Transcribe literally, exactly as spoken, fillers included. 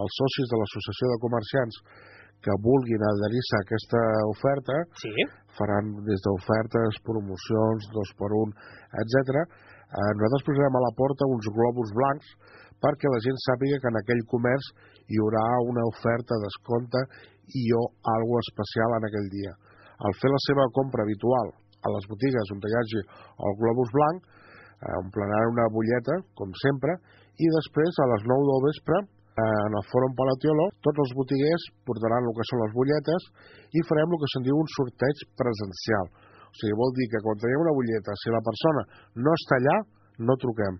els socis de l'Associació de Comerciants que vulguin adherir-se a aquesta oferta, sí. faran des d'ofertes, promocions, dos per un, etcètera. Eh, nosaltres posarem a la porta uns globus blancs perquè la gent sàpiga que en aquell comerç hi haurà una oferta, descompte i o algo especial en aquell dia. Al fer la seva compra habitual a les botigues on hi hagi el globus blanc, eh, ompliran una butlleta, com sempre, i després a les nou del vespre en el Fòrum Palatiolo, tots els botiguers portaran el que són les butlletes i farem el que se'n diu un sorteig presencial. O sigui, vol dir que quan tenim una butlleta, si la persona no està allà, no truquem.